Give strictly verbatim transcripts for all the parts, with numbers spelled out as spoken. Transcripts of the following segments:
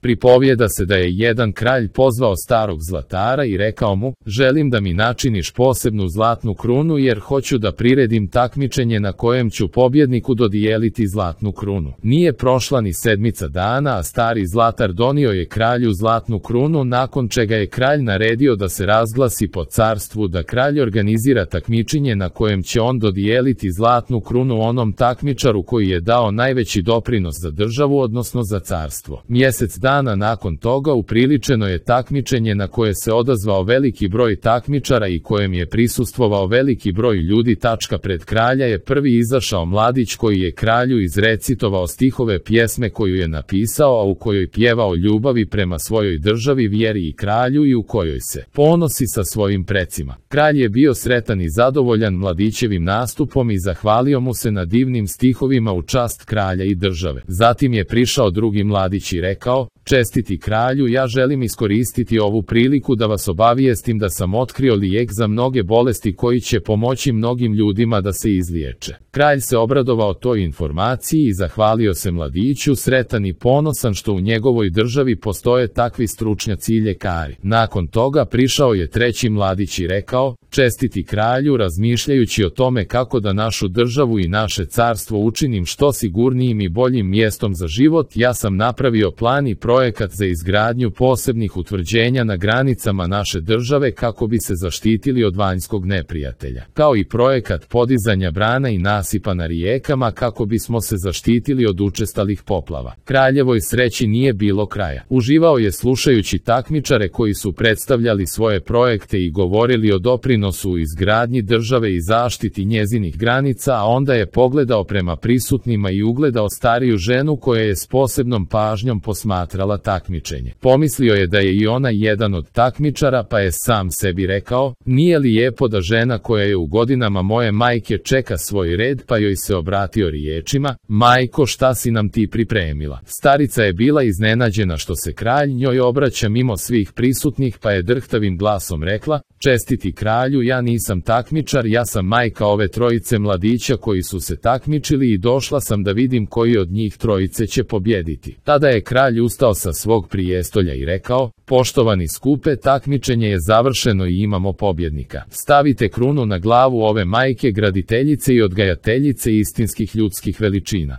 Pripovijeda se da je jedan kralj pozvao starog zlatara i rekao mu: želim da mi načiniš posebnu zlatnu krunu jer hoću da priredim takmičenje na kojem ću pobjedniku dodijeliti zlatnu krunu. Nije prošla ni sedmica dana, a stari zlatar donio je kralju zlatnu krunu, nakon čega je kralj naredio da se razglasi po carstvu da kralj organizira takmičenje na kojem će on dodijeliti zlatnu krunu onom takmičaru koji je dao najveći doprinos za državu, odnosno za carstvo. Mjesec dana nakon toga upriličeno je takmičenje na koje se odazvao veliki broj takmičara i kojem je prisustvovao veliki broj ljudi. Tačka pred kralja je prvi izašao mladić koji je kralju izrecitovao stihove pjesme koju je napisao, a u kojoj pjevao ljubavi prema svojoj državi, vjeri i kralju i u kojoj se ponosi sa svojim precima. Kralj je bio sretan i zadovoljan mladićevim nastupom i zahvalio mu se na divnim stihovima u čast kralja i države. Zatim je prišao drugi mladić i rekao: čestiti kralju, ja želim iskoristiti ovu priliku da vas obavijestim da sam otkrio lijek za mnoge bolesti koji će pomoći mnogim ljudima da se izliječe. Kralj se obradovao toj informaciji i zahvalio se mladiću, sretan i ponosan što u njegovoj državi postoje takvi stručnjaci i ljekari. Nakon toga prišao je treći mladić i rekao: čestiti kralju, razmišljajući o tome kako da našu državu i naše carstvo učinim što sigurnijim i boljim mjestom za život, ja sam napravio plan i projekat za izgradnju posebnih utvrđenja na granicama naše države kako bi se zaštitili od vanjskog neprijatelja, kao i projekat podizanja brana i nasipa na rijekama kako bismo se zaštitili od učestalih poplava. Kraljevoj sreći nije bilo kraja. Uživao je slušajući takmičare koji su predstavljali svoje projekte i govorili o doprinosu u izgradnji države i zaštiti njezinih granica, a onda je pogledao prema prisutnima i ugledao stariju ženu koja je s posebnom pažnjom posmatrala takmičenje. Pomislio je da je i ona jedan od takmičara, pa je sam sebi rekao: nije li lijepo da žena koja je u godinama moje majke čeka svoj red, pa joj se obratio riječima: majko, šta si nam ti pripremila? Starica je bila iznenađena što se kralj njoj obraća mimo svih prisutnih, pa je drhtavim glasom rekla: čestiti kralju, ja nisam takmičar, ja sam majka ove trojice mladića koji su se takmičili i došla sam da vidim koji od njih trojice će pobjediti. Tada je kralj ustao sa svog prijestolja i rekao: poštovani skupe, takmičenje je završeno i imamo pobjednika. Stavite krunu na glavu ove majke, graditeljice i odgajateljice istinskih ljudskih veličina.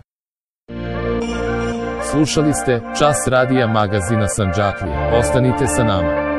Slušali ste Čas radija magazina Sandžaklija. Ostanite sa nama.